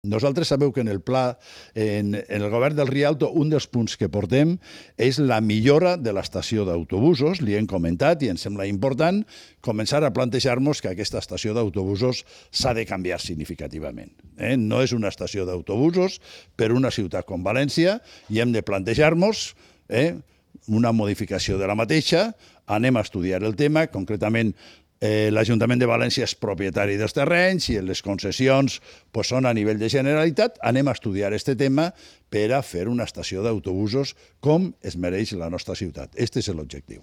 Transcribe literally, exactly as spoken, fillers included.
Nosaltres sabeu que en el pla, en, en el govern del Rialto, un dels punts que portem és la millora de l'estació d'autobusos. Li hem comentat i ens sembla important començar a plantejar-nos que aquesta estació d'autobusos s'ha de canviar significativament. Eh? No és una estació d'autobusos per una ciutat com València i hem de plantejar-nos eh, una modificació de la mateixa. Anem a estudiar el tema, concretament Eh, l'Ajuntament de València és propietari dels terrenys i les concessions pues, són a nivell de Generalitat. Anem a estudiar aquest tema per a fer una estació d'autobusos com es mereix la nostra ciutat. Aquest és l'objectiu.